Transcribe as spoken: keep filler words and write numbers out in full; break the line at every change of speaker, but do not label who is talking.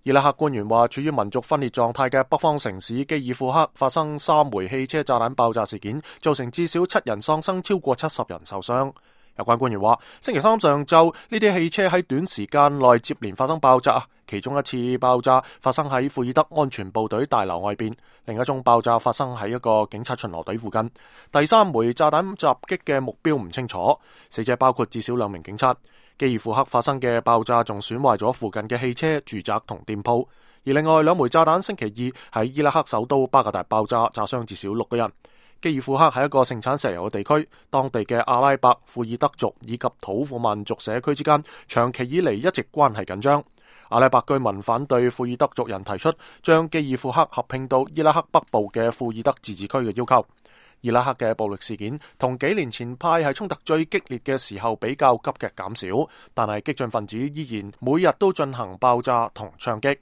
伊拉克官員話，處於民族分裂狀態嘅北方城市基爾庫克發生三枚汽車炸彈爆炸事件，造成至少七人喪生，超過七十人受傷。有關官員話，星期三上晝呢啲汽車喺短時間內接連發生爆炸，其中一次爆炸發生喺庫爾德安全部隊大樓外邊，另一宗爆炸發生喺一個警察巡邏隊附近。第三枚炸彈襲擊嘅目標唔清楚，死者包括至少兩名警察。基爾庫克發生嘅爆炸仲損壞咗附近嘅汽車、住宅同店鋪，而另外兩枚炸彈星期二喺伊拉克首都巴格達爆炸，炸傷至少六個人。基爾庫克係一個盛產石油嘅地區，當地嘅阿拉伯、庫爾德族以及土庫曼族社區之間長期以嚟一直關係緊張。阿拉伯居民反對庫爾德族人提出將基爾庫克合併到伊拉克北部嘅庫爾德自治區嘅要求。伊拉克嘅暴力事件同幾年前派系衝突最激烈嘅時候比較急劇減少，但係激進分子依然每日都進行爆炸同槍擊。